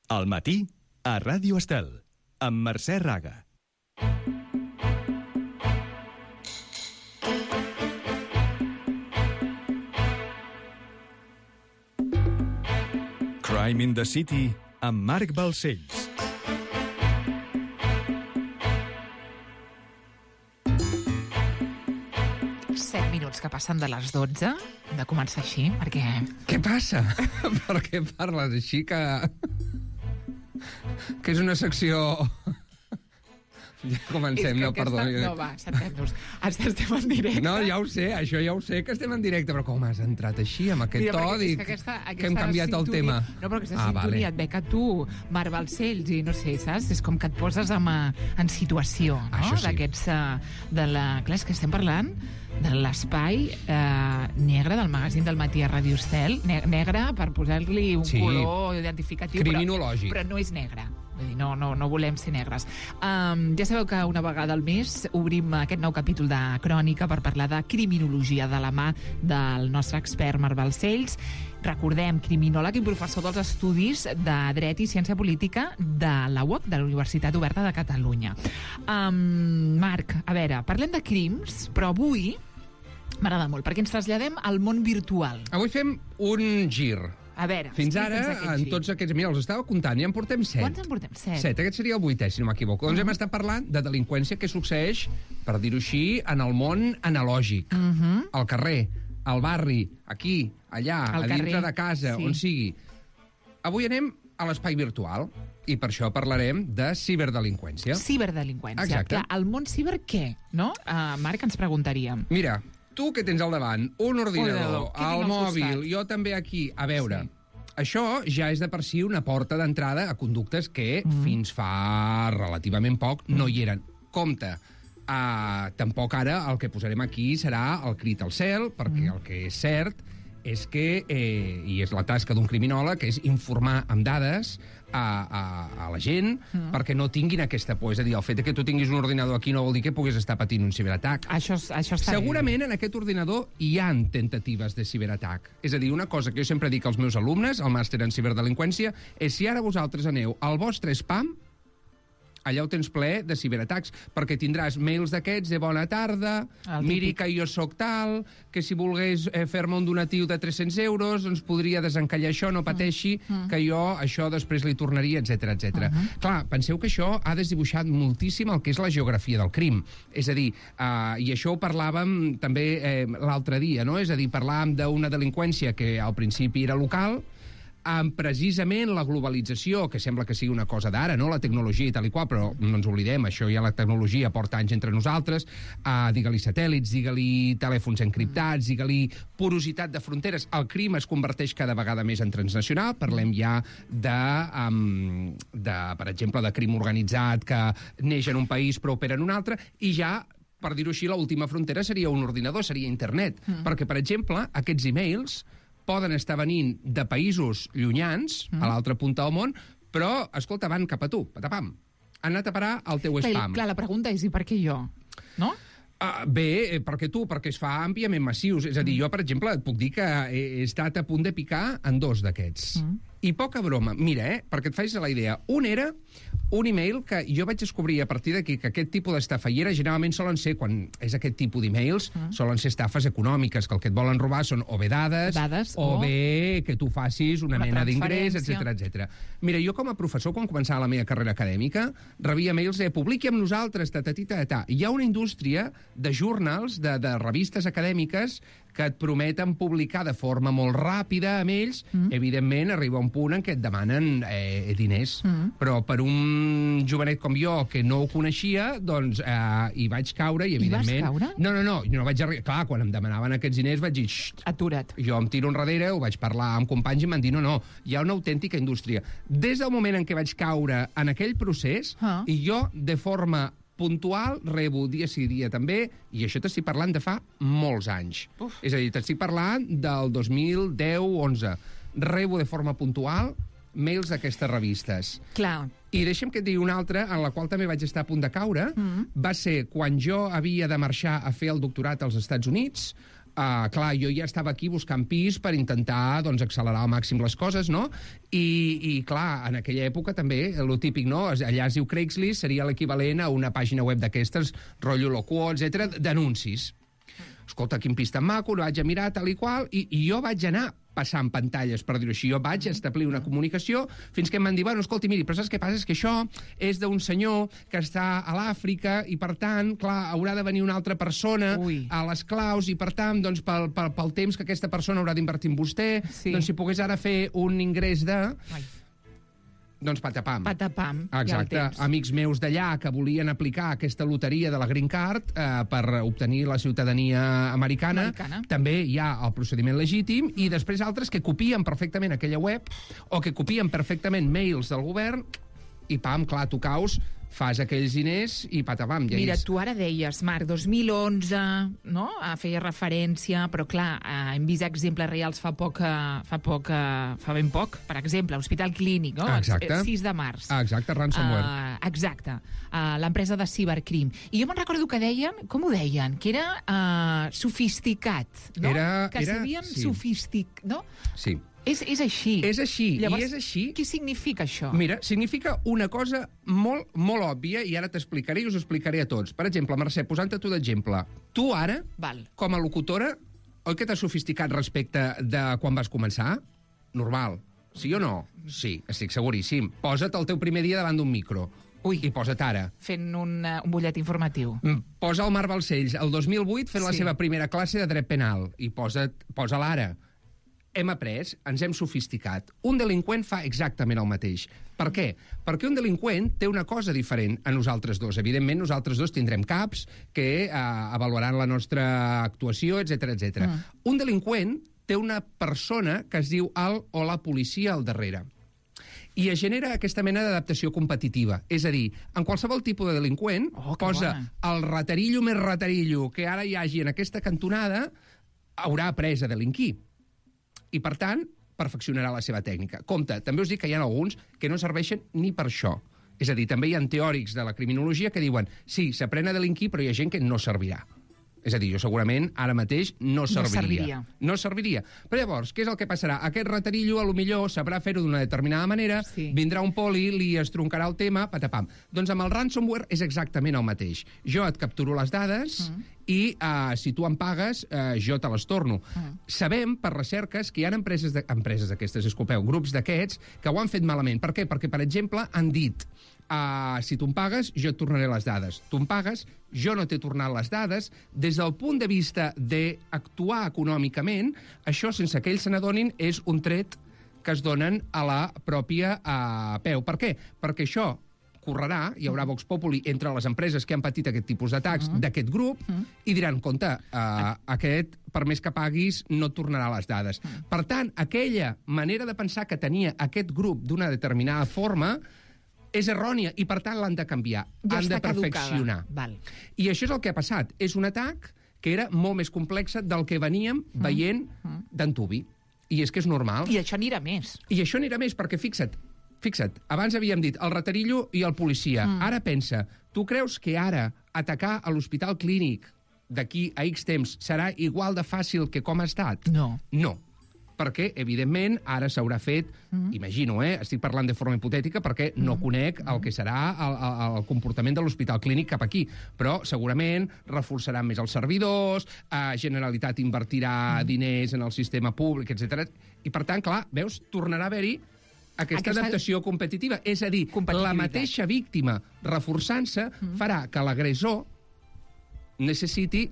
Al matí, a Ràdio Estel, amb Mercè Raga. Crime in the City, amb Marc Balcells. Que passen de les 12, hem de començar així, perquè... Què passa? Per què parles així que és una secció... Ja comencem, no, perdoni. No, va, sentem-nos. Estem en directe. No, ja ho sé, això ja ho sé, que estem en directe, però com has entrat així, amb aquest to, dic que hem canviat el tema. No, però aquesta sintonia et ve que tu, Marc Balcells, i no sé, saps? És com que et poses en situació, no? Això sí. D'aquests... Clar, és que estem parlant de l'espai negre del magazín del matí a Ràdio Estel. Negre per posar-li un color identificatiu, criminològic. Però no és negre. Vull dir, no volem ser negres. Ja sabeu que una vegada al mes obrim aquest nou capítol de Crònica per parlar de criminologia de la mà del nostre expert Marc Balcells. Recordem, criminòleg i professor dels estudis de Dret i Ciència Política de la UOC, de la Universitat Oberta de Catalunya. Marc, a veure, parlem de crims, però avui m'agrada molt, perquè ens traslladem al món virtual. Avui fem un gir. A veure, fins ara, en tots aquests... Mira, els estava comptant, ja en portem 7. Quants en portem? 7. 7, aquest seria el 8è, si no m'equivoco. Doncs hem estat parlant de delinqüència que succeeix, per dir-ho així, en el món analògic. Al carrer, al barri, aquí, allà, a dintre de casa, on sigui. Avui anem a l'espai virtual, i per això parlarem de ciberdelinqüència. Ciberdelinqüència. Exacte. El món ciber què, no? Marc, ens preguntaríem. Mira, tu que tens al davant, un ordinador, el mòbil, jo també aquí, a veure, això ja és de per si una porta d'entrada a conductes que fins fa relativament poc no hi eren. Compte, tampoc ara el que posarem aquí serà el crit al cel, perquè el que és cert és que, i és la tasca d'un criminòleg, és informar amb dades a la gent perquè no tinguin aquesta por. És a dir, el fet que tu tinguis un ordinador aquí no vol dir que puguis estar patint un ciberatac. Això està segurament en aquest ordinador hi han temptatives de ciberatac. És a dir, una cosa que jo sempre dic als meus alumnes, al màster en ciberdelinqüència, és si ara vosaltres aneu al vostre spam, allà ho tens ple de ciberatacs, perquè tindràs mails d'aquests de bona tarda, miri que jo sóc tal, que si volgués fer-me un donatiu de 300 euros, doncs podria desencallar això, no pateixi, que jo això després li tornaria, etc etc. Clar, penseu que això ha desdibuixat moltíssim el que és la geografia del crim. És a dir, i això ho parlàvem també l'altre dia, no? És a dir, parlàvem d'una delinqüència que al principi era local, amb precisament la globalització, que sembla que sigui una cosa d'ara, no? La tecnologia i tal i qual, però no ens oblidem, això ja la tecnologia porta anys entre nosaltres, digue-li satèl·lits, digue-li telèfons encriptats, digue-li porositat de fronteres. El crim es converteix cada vegada més en transnacional, parlem ja per exemple, de crim organitzat que neix en un país però opera en un altre, i ja, per dir-ho així, l'última frontera seria un ordinador, seria internet, perquè, per exemple, aquests e-mails poden estar venint de països llunyans, a l'altra punta del món, però, escolta, van cap a tu, patapam. Han anat a parar al teu spam. Clar, la pregunta és, i per què jo? No? Bé, perquè es fa àmpliament massius. És a dir, jo, per exemple, et puc dir que he estat a punt de picar en 2 d'aquests. I poca broma. Mira, perquè et facis la idea. Un era un e-mail que jo vaig descobrir a partir d'aquí que aquest tipus d'estafallera generalment solen ser, quan és aquest tipus d'e-mails, solen ser estafes econòmiques, que el que et volen robar són o bé dades o bé que tu facis una mena d'ingrés, etc. Mira, jo com a professor, quan començava la meva carrera acadèmica, rebia mails de publiqui amb nosaltres, ta. Hi ha una indústria de journals, de revistes acadèmiques, que et prometen publicar de forma molt ràpida amb ells. Evidentment, arriba un punt en què et demanen diners. Però per un jovenet com jo, que no ho coneixia, doncs hi vaig caure i, evidentment... I vas caure? No vaig arribar... Clar, quan em demanaven aquests diners vaig dir... Atura't. Jo em tiro enrere, ho vaig parlar amb companys i m'han dit no, hi ha una autèntica indústria. Des del moment en què vaig caure en aquell procés, i jo, de forma puntual, rebo dia sí dia també, i això t'estic parlant de fa molts anys. És a dir, t'estic parlant del 2010-11. Rebo de forma puntual mails d'aquestes revistes. Clar. I deixa'm que et digui una altra, en la qual també vaig estar a punt de caure, va ser quan jo havia de marxar a fer el doctorat als Estats Units. clar, jo ja estava aquí buscant pis per intentar doncs, accelerar al màxim les coses, no? I clar, en aquella època també, lo típic, no? Allà es diu Craigslist, seria l'equivalent a una pàgina web d'aquestes, rotllo loco, etc d'anuncis. Escolta, quin pis tan maco, el vaig a mirar, tal i qual, i jo vaig anar passant pantalles, per dir-ho així. Jo vaig establir una comunicació fins que em van dir, bueno, escolti, miri, però saps què passa? És que això és d'un senyor que està a l'Àfrica i, per tant, clar, haurà de venir una altra persona a les claus i, per tant, doncs, pel temps que aquesta persona haurà d'invertir en vostè, doncs si pogués ara fer un ingrés de... Doncs patapam. Patapam. Exacte. Amics meus d'allà que volien aplicar aquesta loteria de la Green Card per obtenir la ciutadania americana. També hi ha el procediment legítim i després altres que copien perfectament aquella web o que copien perfectament mails del govern i pam, clar, tu caus, fas aquells diners i patapam. Ja mira, tu ara deies, Marc, 2011, no? Feia referència, però clar, hem vist exemples reals fa ben poc. Per exemple, Hospital Clínic, no? Exacte. 6 de març. Exacte, ransomware. Exacte. L'empresa de cibercrim. I jo me'n recordo que deien, com ho deien? Que era sofisticat, no? Que s'havien sofisticat, no? Sí. És així. És així. Llavors, i és així. Què significa això? Mira, significa una cosa molt, molt òbvia, i ara t'explicaré i us ho explicaré a tots. Per exemple, Mercè, posant-te tu d'exemple, tu ara, com a locutora, oi que t'has sofisticat respecte de quan vas començar? Normal. Sí o no? Sí, estic seguríssim. Posa't el teu primer dia davant d'un micro. I posa't ara. Fent un butllet informatiu. Posa el Marc Balcells, el 2008, fent la seva primera classe de dret penal. I posa-la ara. Hem après, ens hem sofisticat. Un delinqüent fa exactament el mateix. Per què? Perquè un delinqüent té una cosa diferent a nosaltres dos. Evidentment, nosaltres dos tindrem caps que avaluaran la nostra actuació, etc etc. Un delinqüent té una persona que es diu el o la policia al darrere. I es genera aquesta mena d'adaptació competitiva. És a dir, en qualsevol tipus de delinqüent posa el ratarillo més ratarillo que ara hi hagi en aquesta cantonada, haurà après a delinquir. I, per tant, perfeccionarà la seva tècnica. Compte, també us dic que hi ha alguns que no serveixen ni per això. És a dir, també hi ha teòrics de la criminologia que diuen sí, s'aprèn a delinquir, però hi ha gent que no servirà. És a dir, jo segurament ara mateix no serviria. No serviria. Però llavors, què és el que passarà? Aquest ratarillo, a lo millor, sabrà fer-ho d'una determinada manera, vindrà un poli, li estroncarà el tema, patapam. Doncs amb el ransomware és exactament el mateix. Jo et capturo les dades i si tu em pagues, jo te les torno. Sabem, per recerques, que hi ha empreses d'aquestes, disculpeu, grups d'aquests, que ho han fet malament. Per què? Perquè, per exemple, han dit si tu em pagues, jo et tornaré les dades. Tu em pagues, jo no t'he tornat les dades. Des del punt de vista d'actuar econòmicament, això, sense que ells se n'adonin, és un tret que es donen a la pròpia peu. Per què? Perquè això correrà, hi haurà Vox Populi entre les empreses que han patit aquest tipus d'atacs d'aquest grup i diran, compte, aquest, per més que paguis, no et tornarà les dades. Per tant, aquella manera de pensar que tenia aquest grup d'una determinada forma és errònia i, per tant, l'han de canviar. Han de perfeccionar. I això és el que ha passat. És un atac que era molt més complex del que veníem veient d'antuvi. I és que és normal. I això anirà més. I això anirà més, perquè fixa't, abans havíem dit el ratarillo i el policia. Ara pensa, tu creus que ara atacar a l'Hospital Clínic d'aquí a X temps serà igual de fàcil que com ha estat? No. No. Perquè, evidentment, ara s'haurà fet, imagino, estic parlant de forma hipotètica perquè no conec el que serà el comportament de l'Hospital Clínic cap aquí, però segurament reforçaran més els servidors, Generalitat invertirà diners en el sistema públic, etc. I, per tant, clar, veus, tornarà a haver-hi aquesta adaptació competitiva. És a dir, la mateixa víctima reforçant-se farà que l'agressor necessiti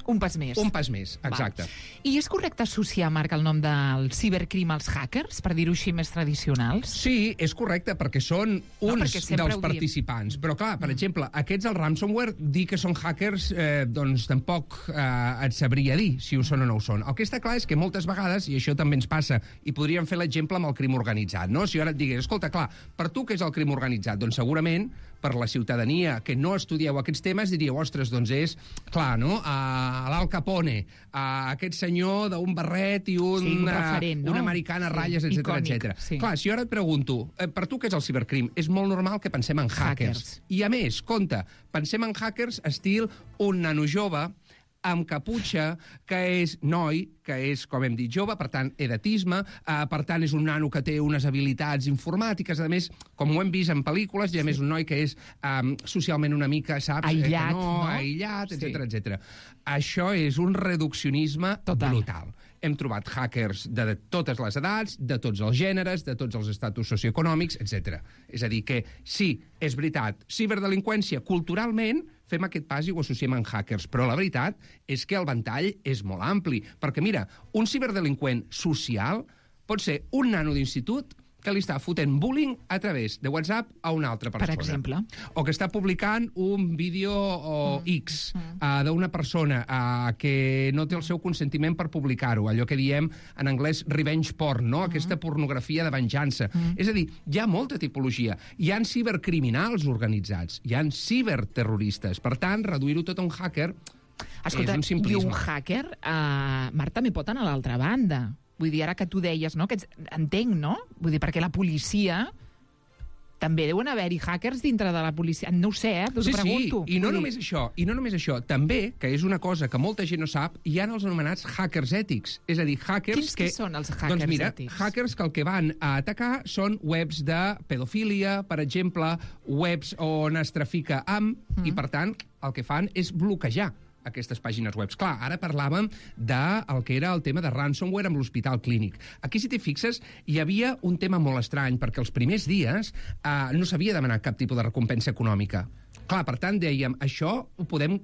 un pas més. Un pas més, exacte. I és correcte associar, Marc, el nom del cibercrim als hackers, per dir-ho així més tradicionals? Sí, és correcte, perquè són uns dels participants. Però, clar, per exemple, aquests, el ransomware, dir que són hackers, doncs tampoc et sabria dir si ho són o no ho són. El que està clar és que moltes vegades, i això també ens passa, i podríem fer l'exemple amb el crim organitzat, no? Si jo ara et digués, escolta, clar, per tu què és el crim organitzat? Doncs segurament, per la ciutadania que no estudieu aquests temes, diríeu, ostres, doncs és, clar, no?, l'Al Capone, aquest senyor d'un barret i una americana a ratlles, etc. Clar, si jo ara et pregunto, per tu què és el cibercrim? És molt normal que pensem en hackers. I a més, compte, pensem en hackers estil un nano jove amb caputxa, que és noi, que és, com hem dit, jove, per tant, edatisme, per tant, és un nano que té unes habilitats informàtiques, a més, com ho hem vist en pel·lícules, i a més un noi que és socialment una mica, saps? Aïllat, no? Aïllat, etc. Això és un reduccionisme brutal. Hem trobat hackers de totes les edats, de tots els gèneres, de tots els estatus socioeconòmics, etc. És a dir, que sí, és veritat, ciberdelinqüència, culturalment, fem aquest pas i ho associem amb hackers, però la veritat és que el ventall és molt ampli, perquè, mira, un ciberdelinqüent social pot ser un nano d'institut que li està fotent bullying a través de WhatsApp a una altra persona. Per exemple. O que està publicant un vídeo X d'una persona que no té el seu consentiment per publicar-ho, allò que diem en anglès revenge porn, no? Aquesta pornografia de venjança. És a dir, hi ha molta tipologia. Hi ha cibercriminals organitzats, hi ha ciberterroristes. Per tant, reduir-ho tot a un hacker és un simplisme. I un hacker, Marc, també pot anar a l'altra banda. Vull dir, ara que tu deies, no? Que entenc, no? Vull dir, perquè la policia també deuen haver-hi hackers dintre de la policia. No ho sé, t'ho pregunto. Sí, i no només això. També, que és una cosa que molta gent no sap, hi ha els anomenats hackers ètics. És a dir, hackers Quins són els hackers ètics? Hackers que el que van a atacar són webs de pedofília, per exemple, webs on es trafica amb, i per tant, el que fan és bloquejar aquestes pàgines web. Clar, ara parlàvem del que era el tema de ransomware amb l'Hospital Clínic. Aquí, si t'hi fixes, hi havia un tema molt estrany, perquè els primers dies no s'havia demanat cap tipus de recompensa econòmica. Clar, per tant, dèiem, això ho podem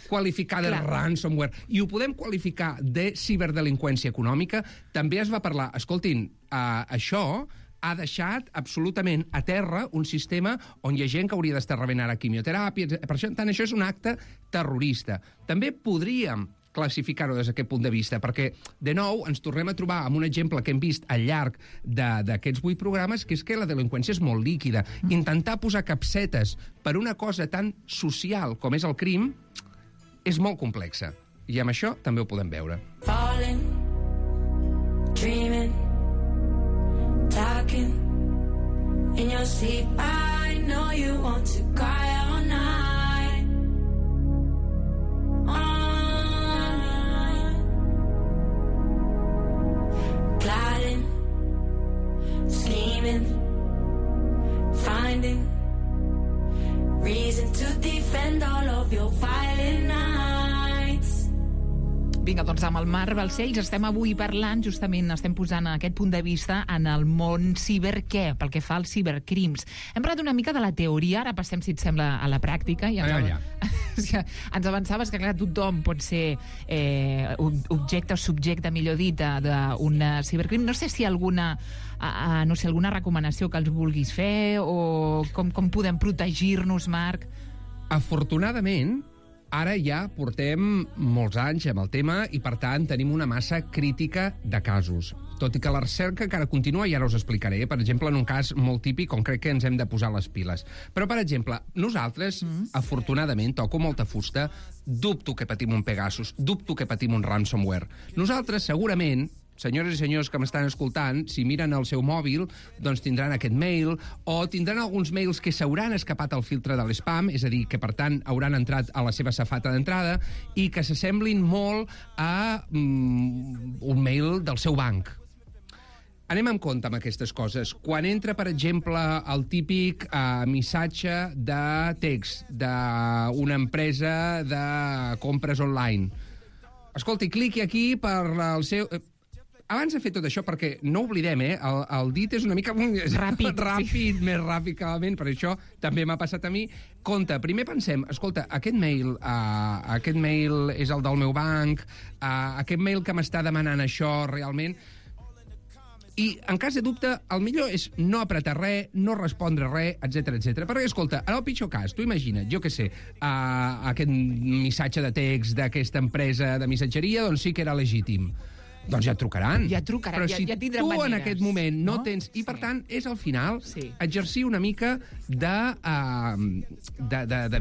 qualificar de ransomware i ho podem qualificar de ciberdelinqüència econòmica. També es va parlar, escoltin, això ha deixat absolutament a terra un sistema on hi ha gent que hauria d'estar rebent ara quimioteràpia. Per això és un acte terrorista. També podríem classificar-ho des d'aquest punt de vista, perquè, de nou, ens tornem a trobar amb un exemple que hem vist al llarg d'aquests 8 programes, que és que la delinqüència és molt líquida. Intentar posar capsetes per una cosa tan social com és el crim és molt complexa. I amb això també ho podem veure. Falling, dreaming, talking in your sleep. I know you want to cry all night. Gliding, scheming, finding reason to defend all of your violent nights. Vinga, doncs amb el Marc Balcells estem avui parlant, justament estem posant aquest punt de vista en el món ciber pel que fa als cibercrims. Hem parlat una mica de la teoria, ara passem, si et sembla, a la pràctica. I ens avançaves que, clar, tothom pot ser objecte o subjecte, millor dit, d'un cibercrim. No sé si alguna recomanació que els vulguis fer o com podem protegir-nos, Marc? Afortunadament, ara ja portem molts anys amb el tema i, per tant, tenim una massa crítica de casos. Tot i que la recerca encara continua, i ara us explicaré, per exemple, en un cas molt típic on crec que ens hem de posar les piles. Però, per exemple, nosaltres, afortunadament, toco molta fusta, dubto que patim un Pegasus, dubto que patim un ransomware. Nosaltres, segurament, senyores i senyors que m'estan escoltant, si miren el seu mòbil, doncs tindran aquest mail, o tindran alguns mails que s'hauran escapat al filtre de l'spam, és a dir, que per tant hauran entrat a la seva safata d'entrada i que s'assemblin molt a un mail del seu banc. Anem amb compte amb aquestes coses. Quan entra, per exemple, el típic missatge de text d'una empresa de compres online, escolti, cliqui aquí per el seu... Abans de fer tot això, perquè no oblidem, el dit és una mica ràpid, més ràpid que la ment, per això també m'ha passat a mi. Compte, primer pensem, escolta, aquest mail és el del meu banc, aquest mail que m'està demanant això realment... I, en cas de dubte, el millor és no apretar res, no respondre res, etc. Perquè, escolta, en el pitjor cas, tu imagina't, jo què sé, aquest missatge de text d'aquesta empresa de missatgeria, doncs sí que era legítim. Doncs ja et trucaran. Però si ja tindran tu maneres, en aquest moment no tens... I, per tant, és al final exercir una mica de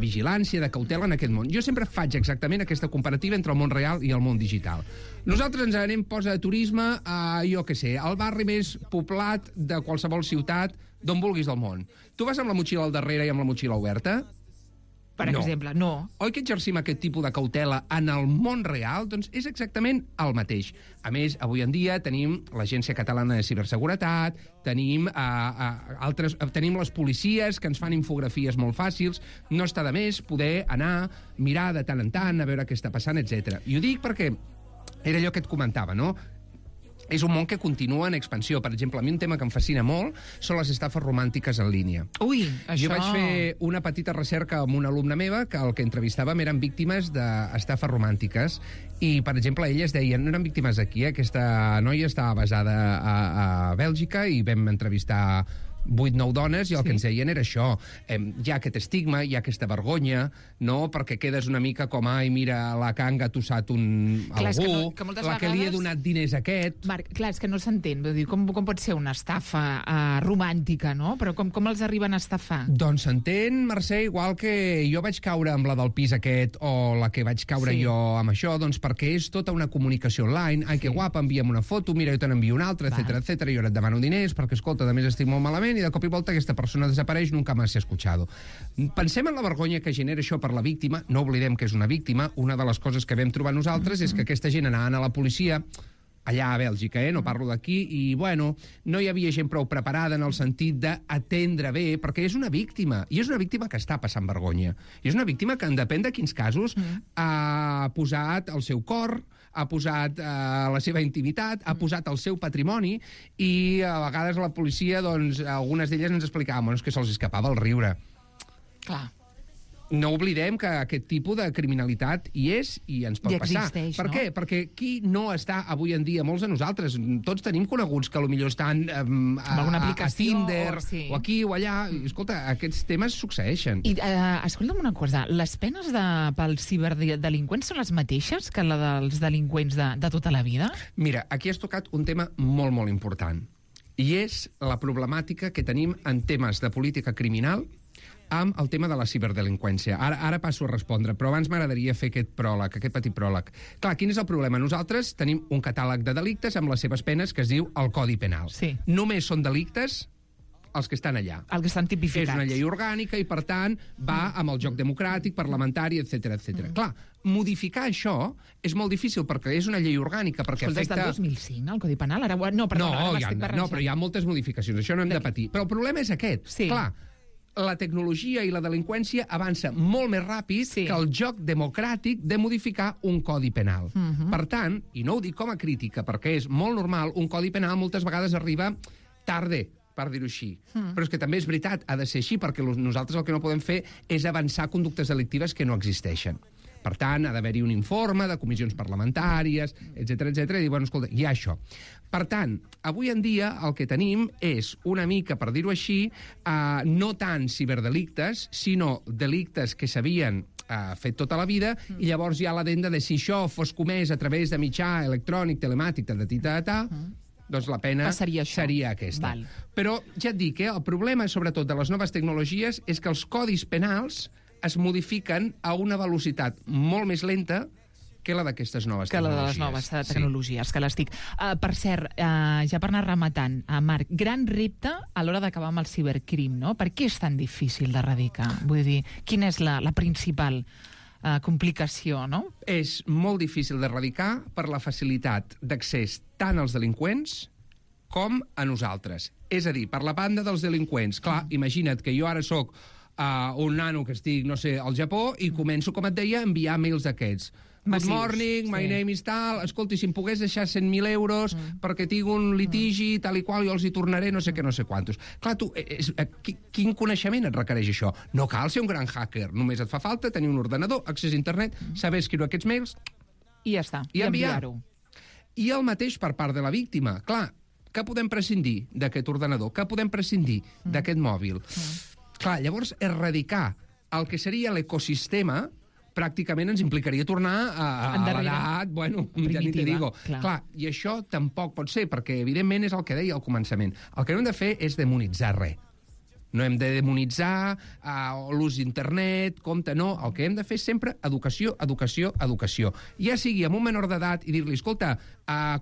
vigilància, de cautela en aquest món. Jo sempre faig exactament aquesta comparativa entre el món real i el món digital. Nosaltres ens anem, posa de turisme, jo què sé, al barri més poblat de qualsevol ciutat, d'on vulguis del món. Tu vas amb la motxilla al darrere i amb la motxilla oberta? per exemple, no. Oi que exercim aquest tipus de cautela en el món real? Doncs és exactament el mateix. A més, avui en dia tenim l'Agència Catalana de Ciberseguretat, tenim les policies que ens fan infografies molt fàcils, no està de més poder anar, mirar de tant en tant, a veure què està passant, etc. I ho dic perquè era allò que et comentava, no? És un món que continua en expansió. Per exemple, a mi un tema que em fascina molt són les estafes romàntiques en línia. Ui, això... Jo vaig fer una petita recerca amb una alumna meva que el que entrevistàvem eren víctimes d'estafes romàntiques i, per exemple, elles deien, no eren víctimes aquí, aquesta noia estava basada a Bèlgica i vam entrevistar 8-9 dones i el que ens deien era això. Hi ha aquest estigma, hi ha aquesta vergonya, no? Perquè quedes una mica com, ai, mira, la que ha engatussat algú, que la que li he donat diners a aquest... Marc, clar, és que no s'entén. Com pot ser una estafa romàntica, no? Però com els arriben a estafar? Doncs s'entén, Mercè, igual que jo vaig caure amb la del pis aquest o la que vaig caure jo amb això, doncs perquè és tota una comunicació online. Ai, que guapa, envia'm una foto, mira, jo te n'envio una altra, etc. Jo ara et demano diners perquè, escolta, a més estic molt malament i de cop i volta aquesta persona desapareix, nunca más se ha escuchado. Pensem en la vergonya que genera això per la víctima, no oblidem que és una víctima, una de les coses que vam trobar nosaltres és que aquesta gent anaven a la policia, allà a Bèlgica, no parlo d'aquí, i, bueno, no hi havia gent prou preparada en el sentit d'atendre bé, perquè és una víctima, i és una víctima que està passant vergonya. I és una víctima que, en depèn de quins casos, ha posat el seu cor, ha posat la seva intimitat, ha posat el seu patrimoni i a vegades la policia, doncs, algunes d'elles ens explicaven, bueno, és que se'ls escapava el riure. Clar. No oblidem que aquest tipus de criminalitat hi és i ens pot passar. Per què? Perquè qui no està avui en dia, molts de nosaltres, tots tenim coneguts que potser estan a Tinder, o aquí o allà. Escolta, aquests temes succeeixen. I escolta'm una cosa, les penes pels ciberdelinqüents són les mateixes que la dels delinqüents de tota la vida? Mira, aquí has tocat un tema molt, molt important. I és la problemàtica que tenim en temes de política criminal amb el tema de la ciberdelinqüència. Ara passo a respondre, però abans m'agradaria fer aquest petit pròleg. Clar, quin és el problema? Nosaltres tenim un catàleg de delictes amb les seves penes que es diu el Codi Penal. Sí. Només són delictes els que estan allà. Els que estan tipificats. És una llei orgànica i, per tant, va amb el joc democràtic, parlamentari, etc. Clar, modificar això és molt difícil perquè és una llei orgànica, perquè afecta... Des del 2005, el Codi Penal? Ara... No, però hi ha moltes modificacions, això no hem de patir. Però el problema és aquest. Sí. Clar, la tecnologia i la delinqüència avança molt més ràpid que el joc democràtic de modificar un codi penal. Per tant, i no ho dic com a crítica, perquè és molt normal, un codi penal moltes vegades arriba tarde, per dir-ho així. Però és que també és veritat, ha de ser així, perquè nosaltres el que no podem fer és avançar conductes delictives que no existeixen. Per tant, ha d'haver-hi un informe de comissions parlamentàries, etc i dir, bueno, escolta, hi ha això. Per tant, avui en dia el que tenim és una mica, per dir-ho així, no tant ciberdelictes, sinó delictes que s'havien fet tota la vida, i llavors hi ha l'adenda de si això fos comès a través de mitjà electrònic, telemàtic, doncs la pena seria aquesta. Val. Però ja et dic, el problema, sobretot, de les noves tecnologies és que els codis penals es modifiquen a una velocitat molt més lenta que la d'aquestes noves tecnologies. Que la de les noves tecnologies, que les dic. Per cert, ja per anar rematant, Marc, gran repte a l'hora d'acabar amb el cibercrim, no? Per què és tan difícil d'erradicar? Vull dir, quina és la principal complicació, no? És molt difícil d'erradicar per la facilitat d'accés tant als delinqüents com a nosaltres. És a dir, per la banda dels delinqüents. Clar, imagina't que jo ara sóc un nano que estic, no sé, al Japó i començo, com et deia, a enviar mails d'aquests. Good morning, my name is tal, escolti, si em pogués deixar 100.000 euros perquè tinc un litigi, tal i qual, jo els hi tornaré no sé què, no sé quantos. Clar, tu, quin coneixement et requereix això? No cal ser un gran hacker, només et fa falta tenir un ordenador, accés a internet, saber escriure aquests mails... I ja està, i enviar-ho. I el mateix per part de la víctima. Clar, que podem prescindir d'aquest ordenador? Que podem prescindir d'aquest mòbil? Clar, llavors, erradicar el que seria l'ecosistema pràcticament ens implicaria tornar a l'edat, bueno, ja ni te digo. Clar, i això tampoc pot ser, perquè evidentment és el que deia al començament. El que no hem de fer és demonitzar res. No hem de demonitzar l'ús d'internet, compte, no. El que hem de fer és sempre educació, educació, educació. Ja sigui amb un menor d'edat i dir-li, escolta,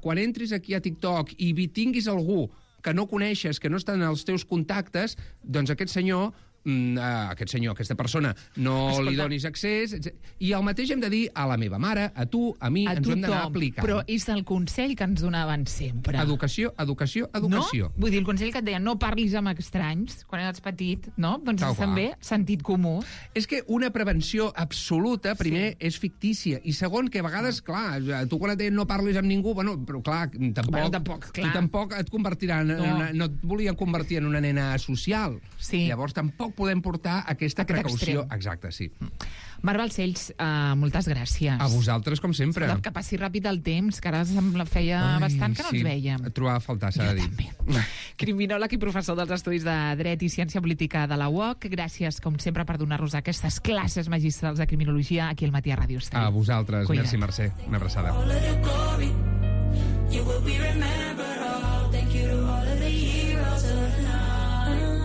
quan entris aquí a TikTok i tinguis algú que no coneixes, que no està en els teus contactes, doncs aquest senyor aquest senyor, aquesta persona, no li donis accés, i el mateix hem de dir a la meva mare, a tu, a mi, ens ho hem d'anar aplicant. Però és el consell que ens donaven sempre. Educació, educació, educació. No? Vull dir, el consell que et deia, no parlis amb estranys, quan eres petit, no? Doncs és també sentit comú. És que una prevenció absoluta, primer, és fictícia, i segon, que a vegades, clar, tu quan et deien no parlis amb ningú, bueno, però clar, tampoc tu tampoc et convertiran, no et volien convertir en una nena social. Sí. Llavors tampoc podem portar aquesta precaució. Extrem. Exacte, sí. Mar Balcells, moltes gràcies. A vosaltres, com sempre. Que passi ràpid el temps, que ara feia bastant que no ens vèiem. Et trobava a faltar, s'ha de dir. També. Criminòleg i professor dels Estudis de Dret i Ciència Política de la UOC. Gràcies, com sempre, per donar-nos aquestes classes magistrals de criminologia aquí al Matí a Ràdio Estel. A vosaltres. Cuida't. Merci, Mercè. Una abraçada. All of the glory, you will be remembered all. Thank you to all of the heroes of the night.